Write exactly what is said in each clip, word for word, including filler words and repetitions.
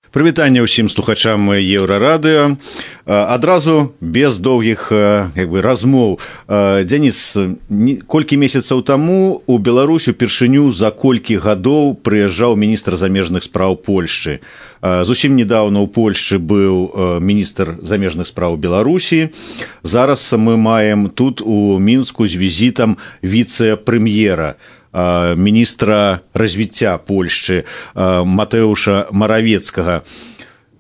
Прывітанне ўсім слухачам Еўрарадыё. Адразу без доўгіх як бы размоў. Дзяніс, колькі месяцаў таму у Беларусь упершыню за колькі гадоў прыязджаў міністр замежных спраў Польшчы. Зусім недаўна ў Польшчы быў міністр замежных спраў Беларусі. Зараз мы маем тут у Мінску з візітам віцэ-прэм'ера, міністра развіцця Польшчы Матэуша Маравецкага.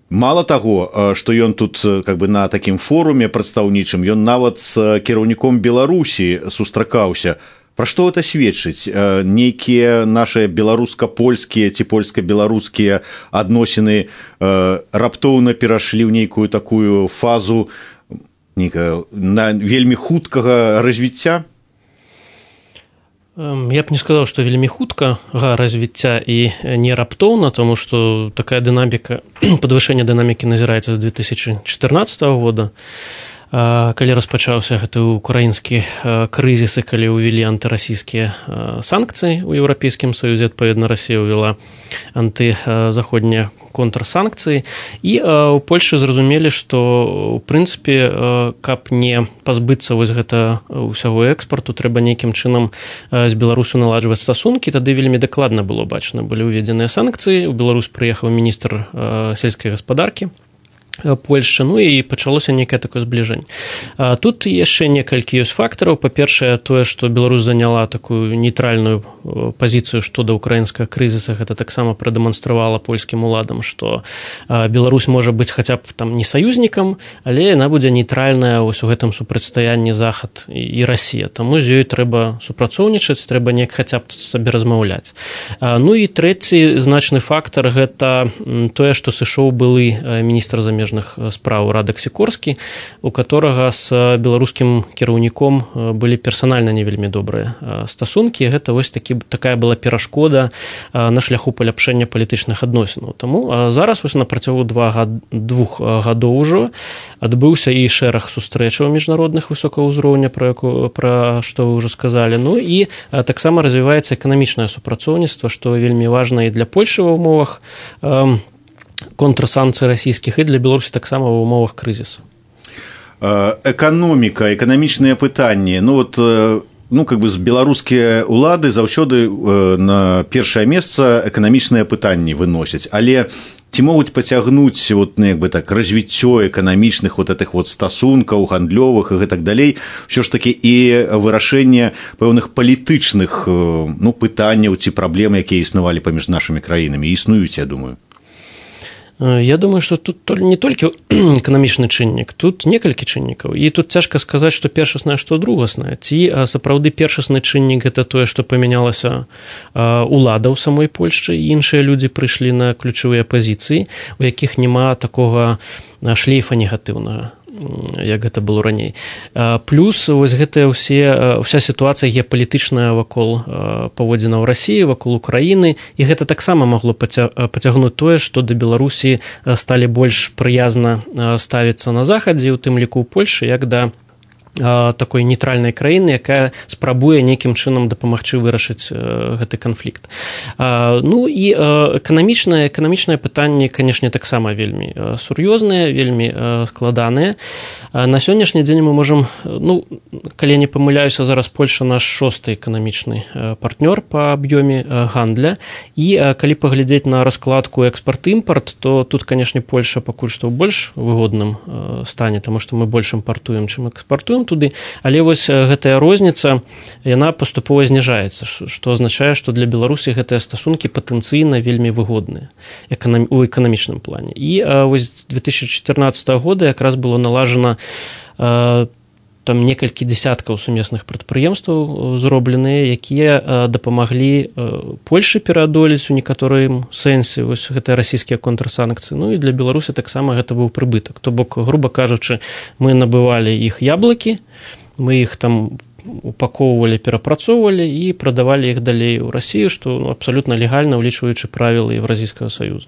Мало таго, што ён тут как бы на такім форуме прадстаўнічым, ён нават з кіраўніком Беларусі сустракаўся. Пра што гэта сведчыць? Нейкія нашыя беларуска-польскія ці польска-беларускія адносіны раптоўна перашлі ў нейкую такую фазу на вельмі хуткага развіцця? Я б не сказаў, што вельмі хутка развіцця і не раптоўна, тому што такая дынаміка, падвышэнне дынамікі назіраецца з две тысячи чатырнаццатага года, калі распачаўся гэты украінскі крызіс і калі ўвялі антырасійскія санкцыі ў Еўрапейскім Саюзе, адпаведна Расія ўвяла антызаходнія контрсанкцыі, і ў Польшы зразумелі, што ў прынцыпе, каб не пазбыцца вось гэта ўсяго экспарту, трэба нейкім чынам з Беларусю наладжваць стасункі. Тады вельмі дакладна было бачна, былі ўведзеныя санкцыі, у Беларусь прыехаў міністр сельскай гаспадаркі Польшчы, ну і пачалося нейкае такое збліжэнне. Тут яшчэ некалькі ёсць фактараў. Па-першае, тое, што Беларусь заняла такую нейтральную пазіцыю што да ўкраінскага крызіса, гэта таксама прадэманстравала польскім уладам, што Беларусь можа быць хаця б там не саюзнікам, але яна будзе нейтральная вось у гэтым супрацьстаянні Захад і Расія. Таму з ёй трэба супрацоўнічаць, трэба неяк хаця б сабе размаўляць. Ну і трэці значны фактар гэта тое, што сышоў былы міністр замежных спраў Радак Сікорскі, у которага з беларускім кіраўніком былі персанальна не вельмі добрыя стасункі. Гэта вось такі, такая была перашкода на шляху паляпшэння палітычных адносінаў. Таму зараз вось на працягу двух гадоў ужо адбыўся і шэраг сустрэчаў міжнародных высокага ўзроўня, пра, пра што вы ўжо сказалі. Ну і таксама развіваецца эканамічнае супрацоўніцтва, што вельмі важна і для Польшы ва ўмовах контрсанкцый расійскіх і для Беларусі таксама ва ўмовах крызісу. Эканоміка, эканамічныя пытанні. Ну вот, ну как бы з беларускія ўлады заўсёды на першае месца эканамічныя пытанні выносяць, але ці могуць пацягнуць вот, ну, як бы так, развіццё эканамічных вот этих вот стасункаў гандлёвых і гэтак далей, ўсё ж такі і вырашэнне пэўных палітычных ну, пытанняў ці праблем, якія існавалі паміж нашымі краінамі, існуюць, я думаю. Я думаю, што тут не толькі эканамічны чыннік, тут некалькі чыннікаў. І тут цяжка сказаць, што першаснае, што другаснае. Ці сапраўды першасны чыннік гэта тое, што памянялася ўлада ў самой Польшчы, і іншыя людзі прыйшлі на ключавыя пазіцыі, у якіх няма такога шлейфа негатыўнага, як гэта было раней. Плюс вось гэтая ўсе, вся сітуацыя геапалітычная вакол паводзінаў Расіі, вакол Украіны, і гэта таксама магло пацягнуць тое, што да Беларусі сталі больш прыязна ставіцца на захадзе, у тым ліку ў Польшы, як да такой нейтральнай краіны, якая спрабуе нейкім чынам дапамагчы вырашыць гэты канфлікт. Ну і эканамічнае, эканамічнае пытанне, канешне, таксама вельмі сур'ёзныя, вельмі складаныя. На сённяшні дзень мы можам, ну, калі я не памыляюся, зараз Польша наш шосты эканамічны партнёр па аб'ёме гандля, і калі паглядзець на раскладку экспарт-імпарт, то тут, канешне, Польша пакуль што ў больш выгодным стане, таму што мы больш імпартуем, чым экспартуем туды, але вось гэтая розніца, яна паступова зніжаецца, што азначае, што для Беларусі гэтыя стасункі патэнцыйна вельмі выгодныя у эканамічным плане. І вось з две тысячи чатырнаццатага года якраз было налажана там некалькі дзясяткаў сумесных прадпрыемстваў зробленыя, якія дапамаглі Польшы пераадолець у некаторым сэнсе вось гэтыя расійскія контрсанкцыі. Ну і для Беларусі таксама гэта быў прыбытак. То бок, груба кажучы, мы набывалі іх яблыкі, мы іх там упаковывалі, перапрацоўвалі і прадавалі іх далей у Расію, што ну, абсалютна легальна, улічваючы правілы Еўразійскага Саюза.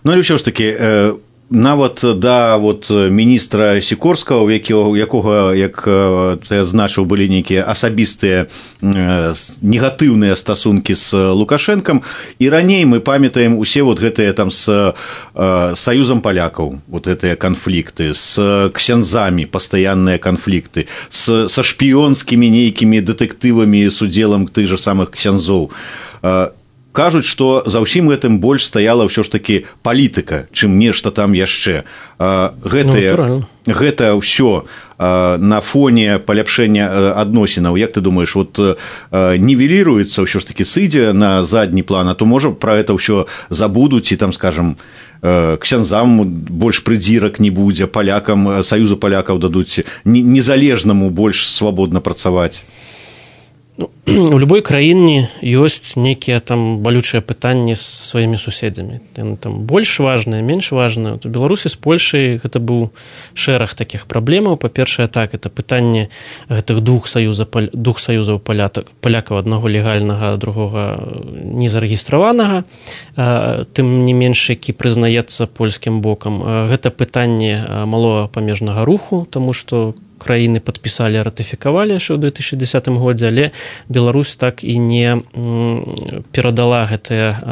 Ну, але ўсё ж такі, нават да вот міністра Сікорскага, у якого, якога, як ты азначыў, былі нейкія асабістыя негатыўныя стасункі з Лукашэнкам, і раней мы памятаем усе вот гэтыя там з саюзам палякаў, вот гэтыя канфлікты, з ксяндзамі пастаянныя канфлікты, з, са шпіёнскімі нейкімі дэтэктывамі з удзелам тых жа самых ксяндзоў. Кажуць, што за ўсім гэтым больш стаяла ўсё ж такі палітыка, чым нешта там яшчэ. Гэтае, ну, гэта ўсё на фоне паляпшэння адносінаў, як ты думаеш, вот нівеліруецца, ўсё ж такі сыдзе на задні план, а то, можа, пра гэта ўсё забудуць і там, скажам, ксяндзам больш прыдзірак не будзе, палякам, саюзу палякаў дадуць незалежнаму больш свабодна працаваць. Ну, у любой краіне ёсць нейкія там балючыя пытанні з сваімі суседзямі. Яны там больш важныя, менш важныя. У Беларусі з Польшай гэта быў шэраг такіх праблемаў. Па-першае, так, это пытанне гэтых двух саюзаў, двух саюзаў палякаў, аднаго легальнага, другога незарэгістраванага, тым не менш, які прызнаецца польскім бокам. Гэта пытанне малога памежнага руху, таму што краіны падпісалі, ратыфікавалі яшчэ ў две тысячы дзесятым годзе, але Беларусь так і не перадала гэтыя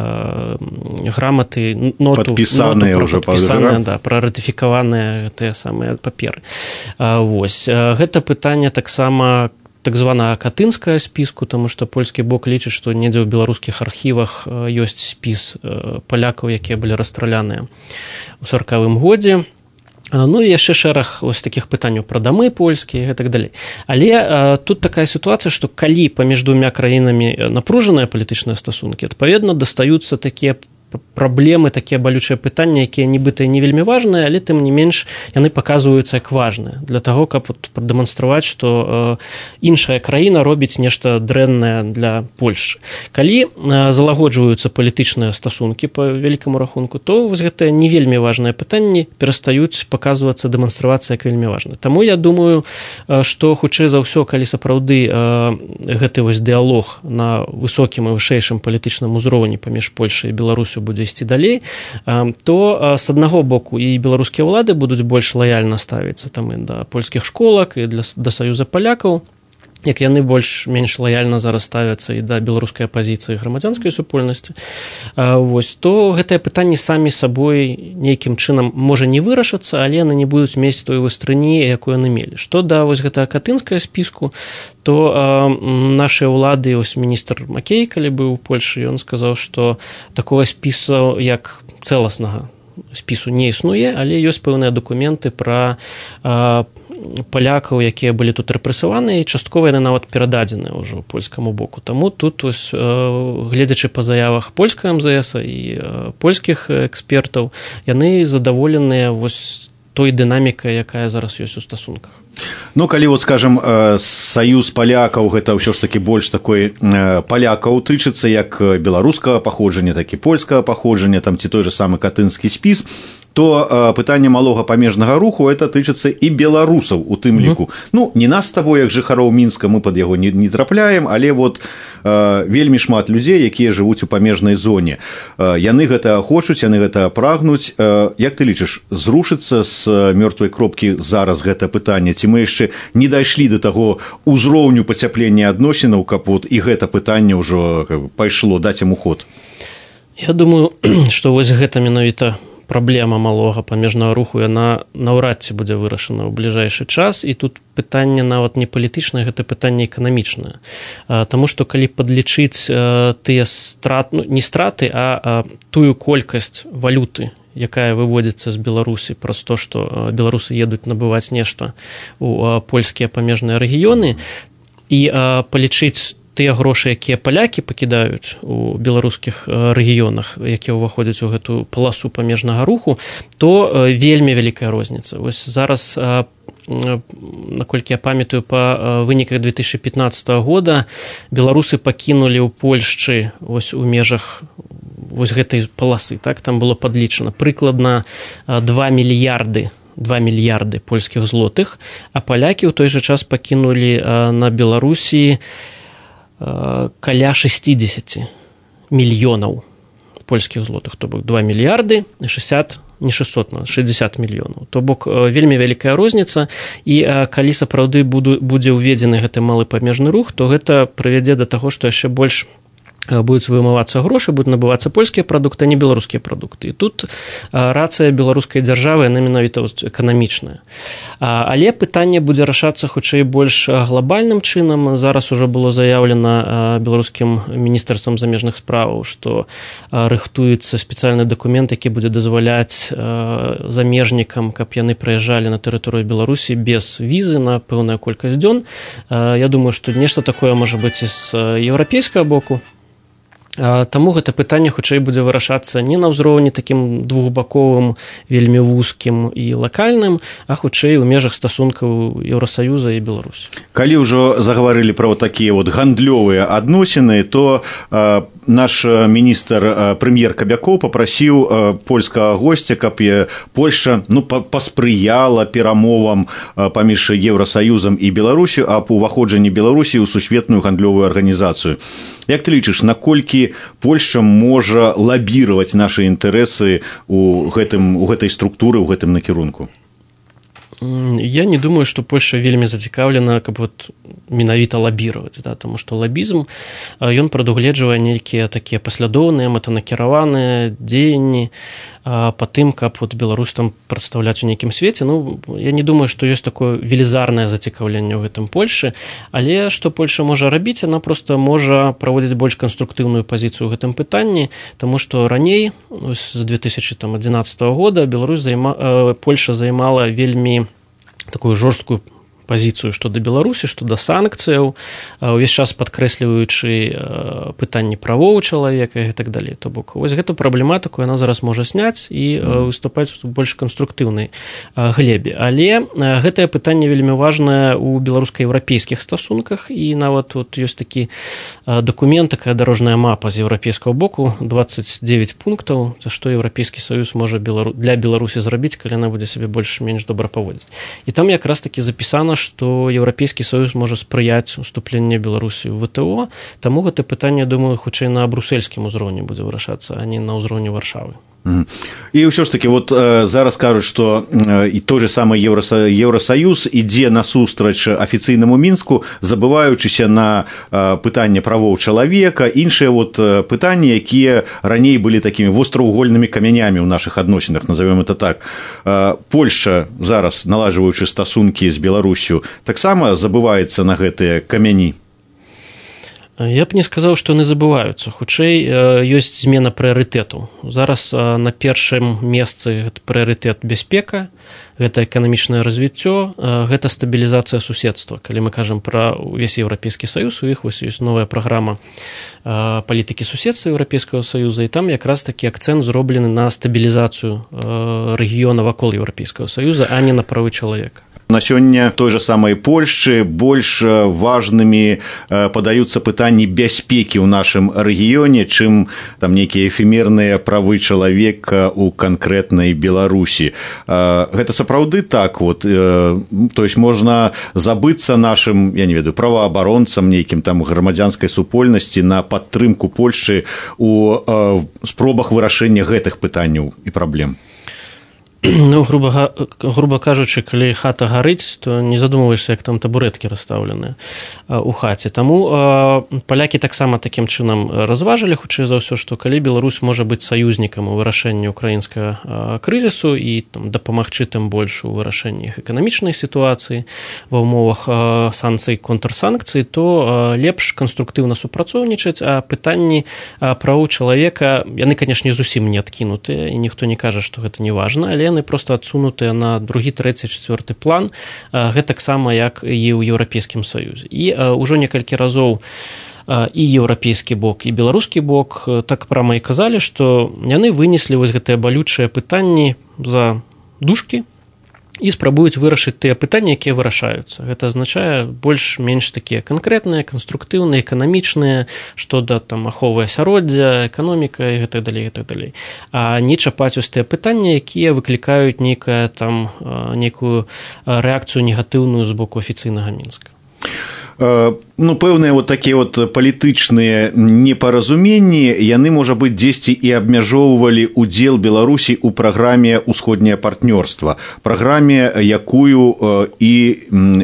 граматы, ноту, падпісаныя ноту ўжо падпісаныя, да, пра ратыфікаваныя гэтыя самыя паперы. Вось. Гэта пытанне таксама так званага катынскага спіску, таму што польскі бок лічыць, што недзе ў беларускіх архівах ёсць спіс палякаў, якія былі расстраляныя ў саркавым годзе. Ну і яшчэ шэраг ось такіх пытанняў пра дамы польскія і так далей. Але а, тут такая сітуацыя, што калі паміж двума краінамі напружаныя палітычныя стасункі, адпаведна дастаюцца такія праблемы, такія балючыя пытанні, якія нібыта не вельмі важныя, але тым не менш яны паказваюцца як важныя для таго, каб прадэманстраваць, што э, іншая краіна робіць нешта дрэннае для Польшчы. Калі э, залагоджваюцца палітычныя стасункі па вялікаму рахунку, то вось гэтыя не вельмі важныя пытанні перастаюць паказвацца, дэманстравацца як вельмі важна. Таму я думаю, э, што хутчэй за ўсё, калі сапраўды э, гэты вось дыялог на высокім і вышэйшым палітычным узроўні паміж Польшай і Беларусю будзе ісці далей, то з аднаго боку і беларускія ўлады будуць больш лаяльна ставіцца там і да польскіх школак, і для, да саюза палякаў, як яны больш-менш лаяльна зараз ставяцца і да беларускай апазіцыі грамадзянскай супольнасці. Вось, то гэтыя пытанні самі сабой нейкім чынам можа не вырашацца, але яны не будуць мець той вастрыні, якую яны мелі. Што да вось гэтага катынскага спіску, то э, нашыя ўлады, ось міністр Макей, калі быў у Польшы, ён сказаў, што такога спісу, як цэласнага спісу не існуе, але ёсць пэўныя дакументы пра э, палякаў, якія былі тут рэпрэсаваныя, і часткова яны нават перададзеныя ўжо польскаму боку. Таму тут, ось, гледзячы па заявах польскага эм зэ эса і польскіх экспертаў, яны задаволеныя вось той дынамікай, якая зараз ёсць у стасунках. Ну, калі, вот, скажем, саюз палякаў, гэта ўсё ж такі больш такой палякаў тычыцца, як беларускага паходжання, так і польскага паходжання, там ці той же самы катынскі спіс, то пытанне малога памежнага руху это тычыцца і беларусаў у тым ліку. Uh-huh. Ну, не нас з табой, як жыхароў Мінска, мы пад яго не, не трапляем, але вот э, вельмі шмат людзей, якія жывуць у памежнай зоне. Э, яны гэта хочуць, яны гэта прагнуць. Э, як ты лічыш, зрушыцца з мёртвай кропкі зараз гэта пытанне? Ці мы яшчэ не дайшлі да таго ўзроўню пацяплення адносінаў, каб вот і гэта пытанне ўжо пайшло, даць яму ход? Я думаю, што вось гэта менавіта праблема малога памежнага руху, яна наўрад ці будзе вырашана ў бліжэйшы час, і тут пытанне нават не палітычнае, гэта пытанне эканамічнае. Таму што калі падлічыць тыя страты, ну, не страты, а тую колькасць валюты, якая выводзіцца з Беларусі праз то, што беларусы едуць набываць нешта ў польскія памежныя рэгіёны, і палічыць тыя грошы, якія палякі пакідаюць у беларускіх рэгіёнах, якія ўваходзяць у гэтую паласу памежнага руху, то вельмі вялікая розніца. Вось зараз, наколькі я памятаю, па выніках две тысячы пятнаццатага года беларусы пакінулі ў Польшчы вось у межах вось гэтай паласы, так, там было падлічана прыкладна два мільярды два мільярды польскіх злотых, а палякі ў той жа час пакінулі на Беларусі каля шэсцідзесят мільёнаў польскіх злотых, то бок два мільярды шэсцьдзесят не шэсцьсот, шэсцьдзесят мільёнаў. То бок вельмі вялікая розніца, і калі сапраўды будзе ўведзены гэты малы памежны рух, то гэта прывядзе да таго, што яшчэ больш будуць вымывацца грошы, будуць набывацца польскія прадукты, а не беларускія прадукты. І тут рацыя беларускай дзяржавы, яна менавіта эканамічная. Але пытанне будзе рашацца хутчэй больш глобальным чынам. Зараз ужо было заяўлена беларускім міністэрствам замежных справаў, што рыхтуецца спецыяльны дакумент, які будзе дазваляць замежнікам, каб яны прыязджалі на тэрыторыю Беларусі без візы на пэўную колькасць дзён. Я думаю, што нешта такое можа быць і з еўрапейскага боку. Таму гэта пытанне хутчэй будзе вырашацца не на ўзроўні такім двухбаковым, вельмі вузкім і лакальным, а хутчэй у межах стасункаў Еўрасаюза і Беларусі. Калі ўжо загаварылі пра такія вот гандлёвыя адносіны, то э, наш міністр, прэм'ер Кабякоў папрасіў э, польскага госця, каб Польшча ну, паспрыяла перамовам э, паміж Еўрасаюзам і Беларусю аб уваходжанні Беларусі ў сусветную гандлёвую арганізацыю. Як ты лічыш, наколькі Польшча можа лабіраваць нашы інтарэсы ў гэтым, у гэтай структуры, ў гэтым накірунку? Я не думаю, што Польшча вельмі зацікаўлена, каб вот менавіта лабіраваць, да, таму што лабізм, ён прадугледжвае нейкія такія паслядоўныя, мэтанакіраваныя дзеянні па тым, каб вот Беларусь там прадстаўляць у нейкім свеце. Ну, я не думаю, што ёсць такое велізарнае зацікаўленне ў гэтым Польшы, але што Польша можа рабіць, яна проста можа праводзіць больш канструктыўную пазіцыю ў гэтым пытанні, таму што раней, з две тысячи адзінаццатага года, Беларусь займа... Польша займала вельмі такую жорсткую пазіцыю што да Беларусі, што да санкцыяў, увесь час падкрэсліваючы пытанні правоў чалавека і так далей. То бок, вось гэту праблематыку яна зараз можа сняць і выступаць у больш канструктыўнай глебе. Але гэтае пытанне вельмі важнае ў беларуска-еўрапейскіх стасунках, і нават вот ёсць такі дакумент, такая дарожная мапа з еўрапейскага боку, двадцать девять пунктаў, за што Еўрапейскі Саюз можа для Беларусі зрабіць, калі яна будзе сябе больш-менш добра паводзіць. І там якраз такі запісана, што Еўрапейскі Саюз можа спрыяць уступленню Беларусі ў вэ тэ о, таму гэта пытанне, думаю, хутчэй на брусельскім узроўні будзе вырашацца, а не на ўзроўні Варшавы. І ўсё ж такі вот зараз кажуць, што і той же самы Еўрасаюз ідзе насустрач афіцыйнаму Мінску, забываючыся на пытанне правоў чалавека, іншыя вот пытанні, якія раней былі такімі востраўгольнымі камянямі ў нашых адносінах, назовём это так. Польшча зараз, наладжваючы стасункі з Беларусю, таксама забываецца на гэтыя камяні. Я б не сказаў, што яны забываюцца. Хутчэй, ёсць змена прыярытэтаў. Зараз на першым месцы прыярытэт бяспека, гэта эканамічнае развіццё, гэта стабілізацыя суседства. Калі мы кажам пра ўвесь Еўрапейскі Саюз, у іх ёсць новая праграма палітыкі суседства Еўрапейскага Саюза, і там якраз такі акцэнт зроблены на стабілізацыю рэгіёна вакол Еўрапейскага Саюза, а не на правы чалавека. На сёння той же самай Польшчы больш важнымі падаюцца пытанні бяспекі ў нашым рэгіёне, чым там нейкія эфемерныя правы чалавека ў канкрэтнай Беларусі. Гэта сапраўды так вот, то есть можна забыцца нашым, я не ведаю, праваабаронцам, нейкім там грамадзянскай супольнасці на падтрымку Польшчы у спробах вырашэння гэтых пытанняў і праблем. Ну, груба, груба кажучы, калі хата гарыць, то не задумваешся, як там табурэткі расстаўленыя ў хаце. Таму палякі таксама такім чынам разважылі, хутчэй за ўсё, што калі Беларусь можа быць саюзнікам у вырашэнні ўкраінскага крызісу і там, дапамагчы тым больш у вырашэнні іх эканамічнай сітуацыі ва ўмовах санкцый, контрсанкцый, то лепш канструктыўна супрацоўнічаць, а пытанні правоў чалавека, яны, канешне, зусім не адкінутыя, і ніхто не кажа, што гэта не важна, але яны проста адсунутыя на другі, трэці, чацвёрты план, гэтаксама, як і ў Еўрапейскім Саюзе. І ўжо некалькі разоў і еўрапейскі бок, і беларускі бок так прама і казалі, што яны вынеслі вось гэтыя балючыя пытанні за дужкі і спрабуюць вырашыць тыя пытанні, якія вырашаюцца. Гэта азначае больш-менш такія канкрэтныя, канструктыўныя, эканамічныя, што да там аховы асяроддзя, эканоміка і гэтак далей, гэтак далей. А не чапаць ось тыя пытанні, якія выклікаюць нейкая там нейкую рэакцыю негатыўную з боку афіцыйнага Мінска. ну, пэўныя вот такія вот палітычныя непаразуменні, яны, можа быць, дзесьці і абмяжоўвалі удзел Беларусі ў праграме «Усходняе партнёрства», праграме, якую і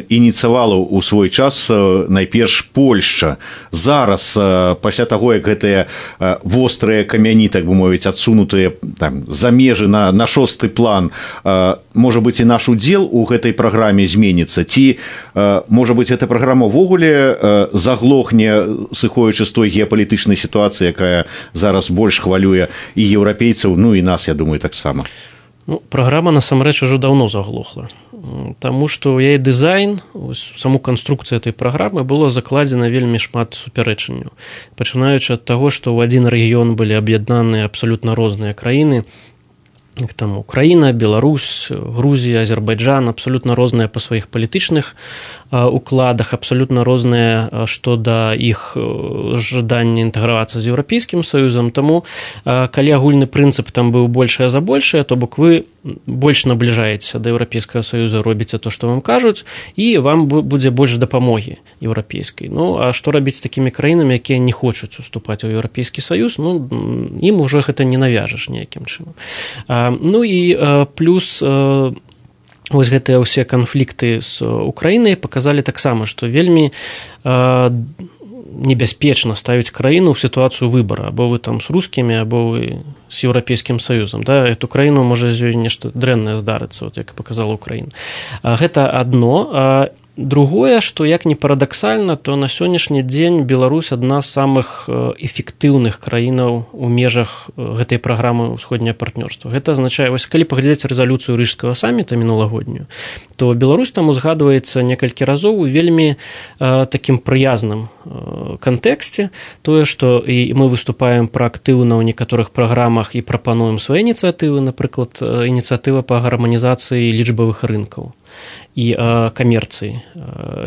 ініцыявала ў свой час найперш Польшча. Зараз, пасля таго, як гэтыя вострыя камяні, так бы мовіць, адсунутыя там за межы на, на шосты план, можа быць, і наш удзел у гэтай праграме зменіцца, ці, можа быць, эта праграма ўвогуле заглохне, сыходзячы з той геапалітычнай сітуацыі, якая зараз больш хвалюе і еўрапейцаў, ну і нас, я думаю, таксама. Ну, праграма насамрэч ужо даўно заглохла, таму што ў яе дызайн, саму канструкцыю этой праграмы было закладзена вельмі шмат супярэчанняў, пачынаючы ад таго, што ў адзін рэгіён былі аб'яднаныя абсалютна розныя краіны, там Украіна, Беларусь, Грузія, Азербайджан, абсалютна розныя па сваіх палітычных укладах, абсалютна розныя што да іх жадання інтэгравацца з Еўрапейскім Саюзам. Таму, калі агульны прынцып там быў большае за большае, то бок вы больш набліжаецеся да Еўрапейскага Саюза, робіце то, што вам кажуць, і вам будзе больш дапамогі еўрапейскай. Ну, а што рабіць з такімі краінамі, якія не хочуць уступаць у Еўрапейскі Саюз? Ну, ім ужо гэта не навяжаш ніякім чынам. Ну і плюс вось гэтыя ўсе канфлікты з Украінай паказалі таксама, што вельмі небяспечна ставіць краіну ў сітуацыю выбара, або вы там з рускімі, або вы з Еўрапейскім Саюзам. Да? Эту краіну можа з ёй нешта дрэннае здарыцца, вот, як паказала Украіна. Гэта адно. Другое, што як не парадаксальна, то на сённяшні дзень Беларусь адна з самых эфектыўных краінаў у межах гэтай праграмы «Усходняе партнёрства». Гэта азначае, вось калі паглядзець рэзалюцыю рыжскага саміта мінулагоднюю, то Беларусь там узгадваецца некалькі разоў у вельмі такім прыязным кантэксце, тое, што і мы выступаем праактыўна ў некаторых праграмах і прапануем свае ініцыятывы, напрыклад, ініцыятыва па гарманізацыі лічбавых рынкаў і камерцыі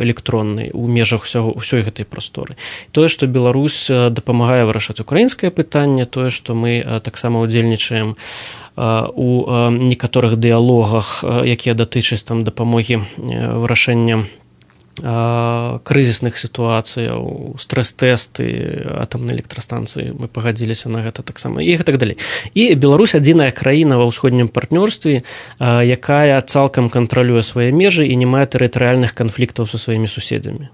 электроннай у межах ўсёй гэтай прасторы. Тое, што Беларусь дапамагае вырашаць украінскае пытанне, тое, што мы таксама ўдзельнічаем у некаторых дыялогах, якія датычаць там дапамогі вырашэння крызісных сітуацыяў, стрэс-тэсты атамнай электрастанцыі, мы пагадзіліся на гэта таксама, і так далей. І Беларусь адзіная краіна ва ўсходнім партнёрстве, якая цалкам кантралюе свае межы і не мае тэрытарыяльных канфліктаў са сваімі суседзямі.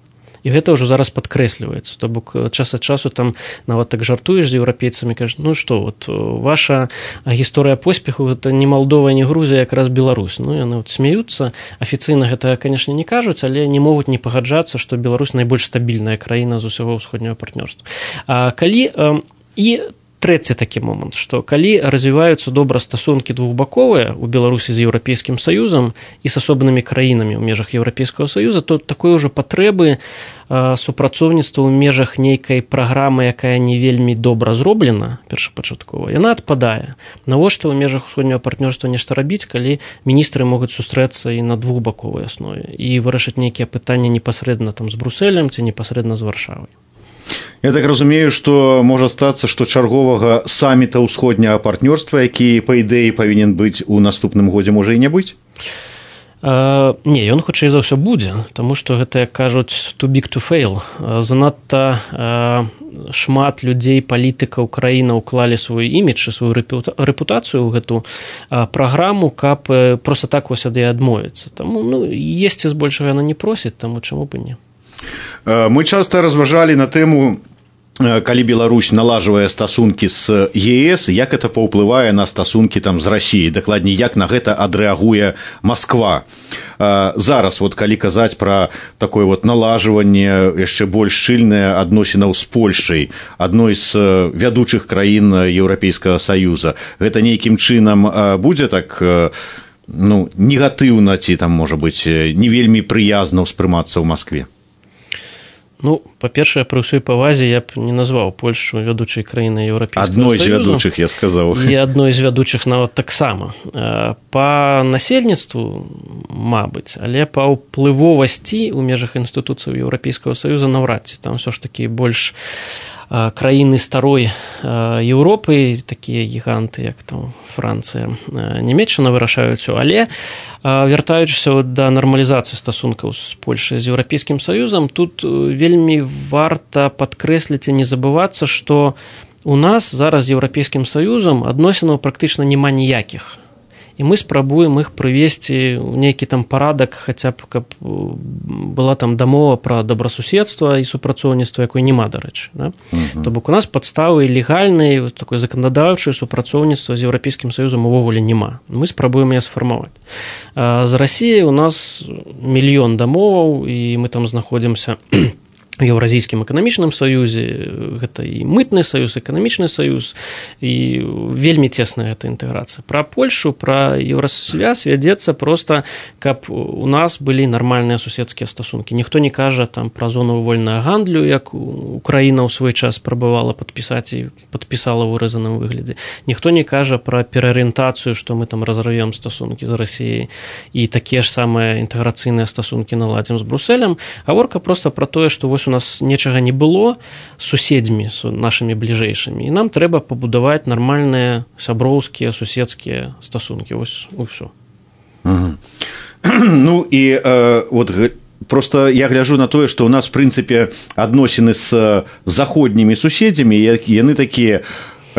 І гэта ўжо зараз падкрэсліваецца. То бок час ад часу там нават так жартуеш з еўрапейцамі, кажаш, ну што, вот ваша гісторыя поспеху гэта не Малдова, не Грузія, якраз Беларусь. Ну, яны вот смеюцца. Афіцыйна гэта, канешне, не кажуць, але не могуць не пагаджацца, што Беларусь найбольш стабільная краіна з усяго ўсходняга партнёрства. А калі і трэці такі момант, што калі развіваюцца добра стасункі двухбаковыя ў Беларусі з Еўрапейскім Саюзам і з асобнымі краінамі ў межах Еўрапейскага Саюза, то такой ужо патрэбы супрацоўніцтва ў межах нейкай праграмы, якая не вельмі добра зроблена першапачаткова, яна адпадае. Навошта ў межах усходняга партнёрства нешта рабіць, калі міністры могуць сустрэцца і на двухбаковай аснове і вырашыць нейкія пытанні непасрэдна там з Брусэлем ці непасрэдна з Варшавай. Я так разумею, што можа стацца, што чарговага саміта ўсходняга партнёрства, які, па ідэі, павінен быць у наступным годзе, можа і не быць? Uh, не, ён хутчэй за ўсё будзе, таму што гэта, як кажуць, too big to fail. Uh, занадта uh, шмат людзей, палітыкаў краіны ўклалі свой імідж і сваю рэпутацыю ў гэту uh, праграму, каб uh, проста так вось ад яе адмовіцца. Таму, ну, есці збольшага яна не просіць, таму чаму б не. Мы часта разважалі на тэму, калі Беларусь налажвае стасункі з ЕС, як это паўплывае на стасункі там з Расіяй, дакладней, як на гэта адрэагуе Масква. Зараз, вот, калі казаць пра такое вот налажванне яшчэ больш шчыльнае адносінаў з Польшай, адной з вядучых краін Еўрапейскага Саюза, гэта нейкім чынам будзе так, ну, негатыўна ці там, можа быць, не вельмі прыязна ўспрымацца ў Маскве? Ну, па-першае, пры ўсёй павазе я б не назваў Польшчу вядучай краінай Еўрапейскага Саюза. Адной з вядучых, я сказаў. І адной з вядучых нават таксама. Па насельніцтву, мабыць, але па ўплывовасці ў межах інстытуцыяў Еўрапейскага Саюза наўрад ці. Там ўсё ж такі больш краіны старой Еўропы, такія гіганты, як там Францыя, Нямецчына вырашаюць, але вяртаючыся да нармалізацыі стасункаў з Польшай з Еўрапейскім Саюзам, тут вельмі варта падкрэсліць і не забывацца, што у нас зараз з Еўрапейскім Саюзам адносінаў практычна няма ніякіх. І мы спрабуем іх прывесці ў нейкі там парадак, хаця б каб была там дамова пра добрасуседства і супрацоўніцтва, якой няма, дарэчы. Да? Uh-huh. То бок у нас падставы легальнай, такой заканадаўчай супрацоўніцтва з Еўрапейскім Саюзам увогуле няма. Мы спрабуем яе сфармаваць. З Расіяй у нас мільён дамоваў, і мы там знаходзімся в Еўразійскім эканамічным саюзе, гэта і мытны саюз, эканамічны саюз, і вельмі цесная гэта інтэграцыя. Пра Польшу, пра Еўрасвяз вядзецца проста, каб у нас былі нармальныя суседскія стасункі. Ніхто не кажа там пра зону вольнага гандлю, як Украіна ў свой час спрабавала падпісаць і падпісала ў выразаным выглядзе. Ніхто не кажа пра пераарыентацыю, што мы там разарвем стасункі з Расіяй і такія ж самыя інтэграцыйныя стасункі наладзім з Брусэлем. Гаворка проста пра тое, што вось у нас нечага не было з суседзьмі, з нашымі бліжэйшымі, і нам трэба пабудаваць нармальныя сяброўскія, суседскія стасункі. Вось усё. Угу. Ну і э, вот просто я гляжу на тое, што ў нас, в прынцыпе, адносіны з заходнімі суседзямі, яны такія,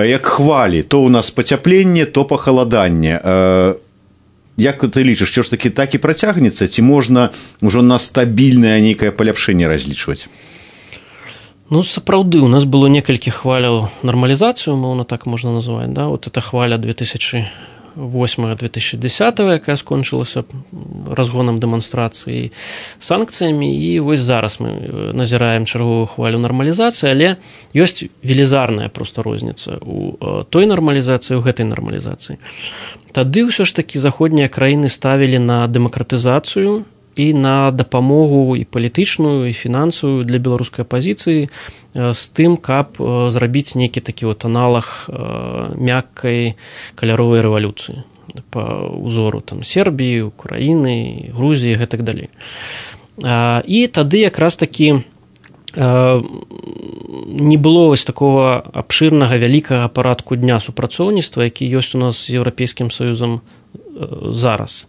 як хвалі. То ў нас пацяпленне, то пахаладанне. Э, Як ты лічыш, што ж такі так і працягнецца, ці можна ўжо на стабільнае нейкае паляпшэнне разлічваць? Ну, сапраўды, у нас было некалькі хваляў нармалізацыю, умоўна так можна называць, да? Вот эта хваля две тысячи восьмого - две тысячи десятого, якая скончылася разгонам дэманстрацыі, санкцыямі, і вось зараз мы назіраем чарговую хвалю нармалізацыі, але ёсць велізарная проста розніца у той нармалізацыі, у гэтай нармалізацыі. Тады ўсё ж такі заходнія краіны ставілі на дэмакратызацыю і на дапамогу і палітычную, і фінансавую для беларускай апазіцыі з тым, каб зрабіць нейкі такі вот аналаг мяккай каляровай рэвалюцыі па ўзору там Сербіі, Украіны, Грузіі і гэтак далей. І тады якраз такі не было вось такого абшырнага вялікага парадку дня супрацоўніцтва, які ёсць у нас з Еўрапейскім Саюзам зараз.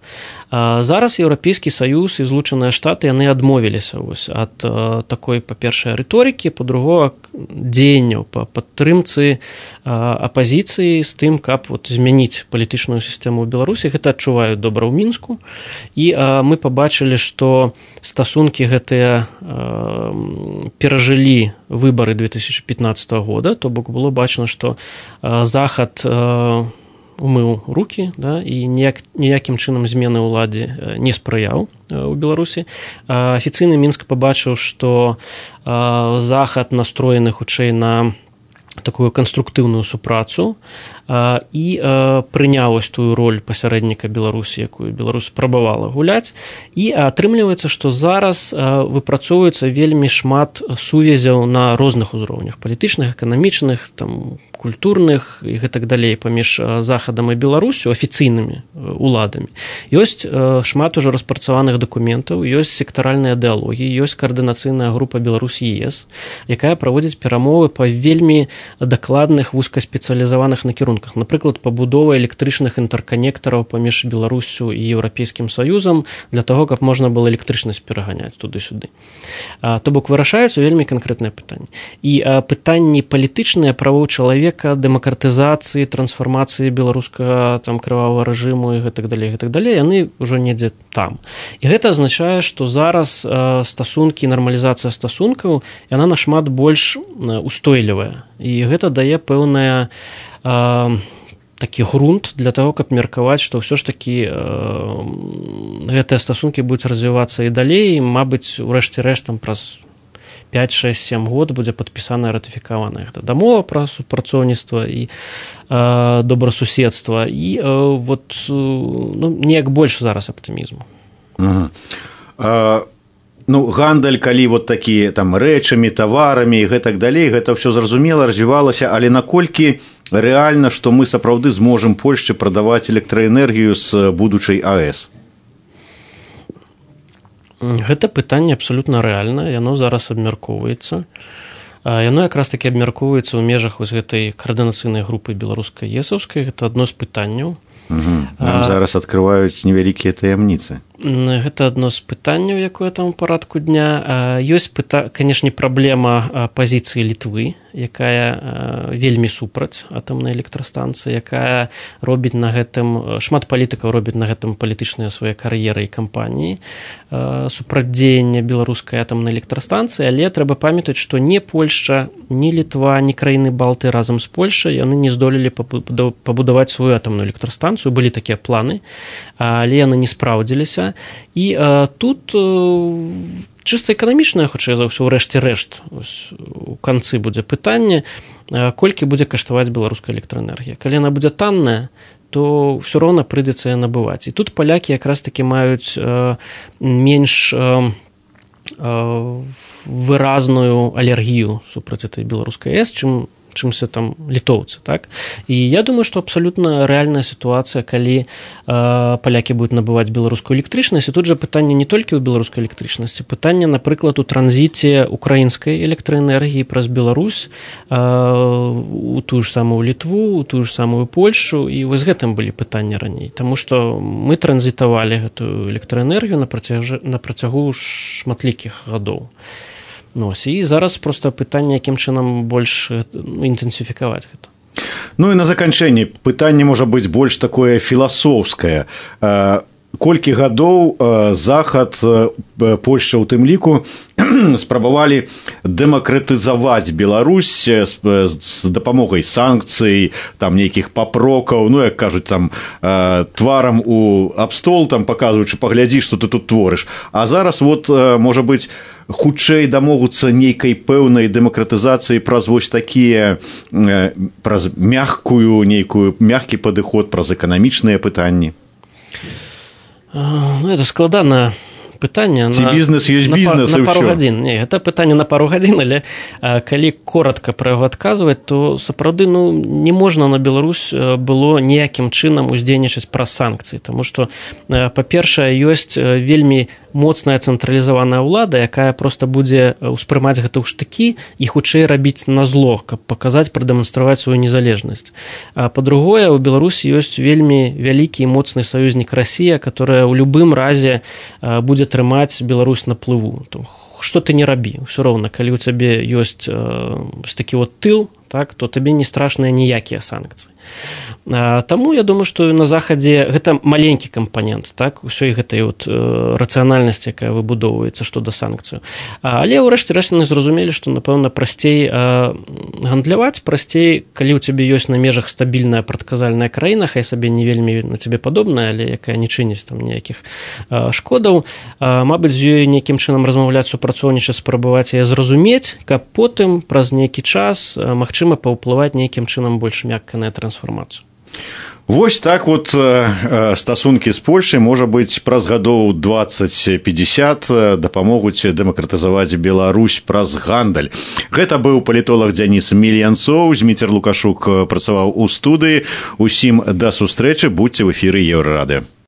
Зараз Еўрапейскі Саюз і Злучаныя Штаты, яны адмовіліся вось ад такой, па-першае, рыторыкі, па-другое, дзеянняў па падтрымцы апазіцыі з тым, каб вот змяніць палітычную сістэму ў Беларусі. Гэта адчуваюць добра ў Мінску. І мы пабачылі, што стасункі гэтыя перажылі выбары две тысячи пятнадцатого года, то бок было бачна, што Захад умыў рукі, да, і ніяк, ніякім чынам змены ўладзе не спрыяў у Беларусі. Афіцыйны Мінск пабачыў, што Захад настроены хутчэй на такую канструктыўную супрацу і прыняў ось тую роль пасярэдніка Беларусі, якую Беларусь спрабавала гуляць. І атрымліваецца, што зараз выпрацоўваецца вельмі шмат сувязяў на розных узроўнях: палітычных, эканамічных, там, культурных і гэтак далей паміж Захадам і Беларусю, афіцыйнымі уладамі. Ёсць шмат ужо распрацаваных дакументаў, ёсць сектаральныя дыалогі, ёсць каардынацыйная група Беларусь-ЕС, якая праводзіць перамовы па вельмі дакладных вузкаспецыялізаваных накірунках. Напрыклад, пабудова электрычных інтэрканектараў паміж Беларусю і Еўрапейскім Саюзам для таго, каб можна было электрычнасць пераганяць туды-сюды. То бок вырашаюцца вельмі канкрэтныя пытанні. І пытанні палітычныя, правоў чалавека, дэмакратызацыі, трансфармацыі беларускага там крывавага рэжыму і гэтак далей, гэтак далей, яны ўжо недзе там. І гэта азначае, што зараз стасункі, нармалізацыя стасункаў, яна нашмат больш устойлівая. І гэта дае пэўная такі грунт для таго, каб меркаваць, што ўсё ж такі э, гэтыя стасункі будуць развівацца і далей, і, мабыць, у рэшце-рэшт там праз пять шесть семь год будзе падпісаная, ратыфікаваная гэта дамова пра супрацоўніцтва і э, добрасуседства, і э, вот э, ну, неяк больш зараз аптымізму. Ага. А, ну, гандаль, калі вот такі там рэчамі, таварамі і гэтак далей, гэта ўсё зразумела, развівалася, але наколькі рэальна, што мы сапраўды зможам Польшчы прадаваць электраэнергію з будучай АЭС? Гэта пытанне абсалютна рэальнае, яно зараз абмяркоўваецца. Яно якраз такі абмяркоўваецца ў межах вось гэтай каардынацыйнай групы беларуска-есаўскай. Гэта адно з пытанняў. Угу. Нам а, зараз адкрываюць невялікія таямніцы. Гэта адно з пытанняў, якое там у парадку дня. Ёсць, пыта... канешне, праблема пазіцыі Літвы, якая вельмі супраць атамнай электрастанцыі, якая робіць на гэтым, шмат палітыкаў робіць на гэтым палітычныя свае кар'еры і кампаніі супрацьдзеяння беларускай атамнай электрастанцыі, але трэба памятаць, што ні Польшча, ні Літва, ні краіны Балты разам з Польшай яны не здолелі пабудаваць сваю атамную электрастанцыю. Былі такія планы, але яны не спраўдзіліся. І а, тут а, чыста эканамічнае, хутчэй за ўсё, ўрэшце рэшт, у канцы будзе пытанне, а, колькі будзе каштаваць беларуская электраэнергія. Калі яна будзе танная, то ўсё роўна прыйдзецца яе набываць. І тут палякі якраз такі маюць а, менш а, а, выразную алергію супраць этой беларускай АЭС, чым чымся там літоўцы, так? І я думаю, што абсалютна рэальная сітуацыя, калі э, палякі будуць набываць беларускую электрычнасць. І тут жа пытанне не толькі ў беларускай электрычнасці, пытанне, напрыклад, у транзіце украінскай электраэнергіі праз Беларусь э, у тую ж самую Літву, у тую ж самую Польшчу, і вось гэтым былі пытанні раней. Таму што мы транзітавалі гэтую электраэнергію на працягу, на працягу шматлікіх гадоў. Ну, і зараз проста пытанне, якім чынам больш інтэнсіфікаваць гэта. Ну і на заканчэнне пытанне можа быць больш такое філасофскае. Колькі гадоў Захад, Польшча ў тым ліку, спрабавалі дэмакратызаваць Беларусь з дапамогай санкцый, там нейкіх папрокаў, ну, як кажуць, там тварам у абстол, там паказваючы, паглядзі, што ты тут творыш. А зараз вот, можа быць, хутчэй дамогуцца нейкай пэўнай дэмакратызацыі праз вось такія, праз мяккую, нейкую, мяккі падыход, праз эканамічныя пытанні. Ну, это складанае пытанне. Ці бізнес ёсць бізнес, на, і на пару ўсё. гадзін. Не, гэта пытанне на пару гадзін, але а, калі коротка пра яго адказваць, то сапраўды, ну, не можна на Беларусь было ніякім чынам уздзейнічаць праз санкцыі, таму што, па-першае, ёсць вельмі моцная цэнтралізаваная ўлада, якая проста будзе ўспрымаць гэта ў штыкі і хутчэй рабіць на зло, каб паказаць, прадэманстраваць сваю незалежнасць. А па-другое, у Беларусі ёсць вельмі вялікі і моцны саюзнік Расія, которая ў любым разе будзе трымаць Беларусь на плыву. Што ты не рабі, ўсё роўна, калі ў цябе ёсць э, такі вот тыл, так, то табе не страшныя ніякія санкцыі. А, таму я думаю, што на Захадзе гэта маленькі кампанент, так, усёй гэтай вот, э, рацыянальнасці, якая выбудоўваецца што да санкцыю. А, але ўрэшце рэшце яны зразумелі, што, напэўна, прасцей э, гандляваць, прасцей, калі ў цябе ёсць на межах стабільная прадказальная краіна, хай сабе не вельмі на цябе падобная, але якая не чыніць там ніякіх э, шкодаў, э, мабыць, з ёй нейкім чынам размаўляць, супрацоўнічаць, спрабаваць яе зразумець, каб потым праз нейкі час э, магчыма паўплываць нейкім чынам больш мякка на трансфармацыю. Вось так вот стасункі з Польшай, можа быць, праз гадоў дваццаць пятьдесят дапамогуць дэмакратызаваць Беларусь праз гандаль. Гэта быў палітолог Дзяніс Мільянцоў, Зміцер Лукашук працаваў у студыі. Усім да сустрэчы, будзьце ў эфіры Еўрарадыё.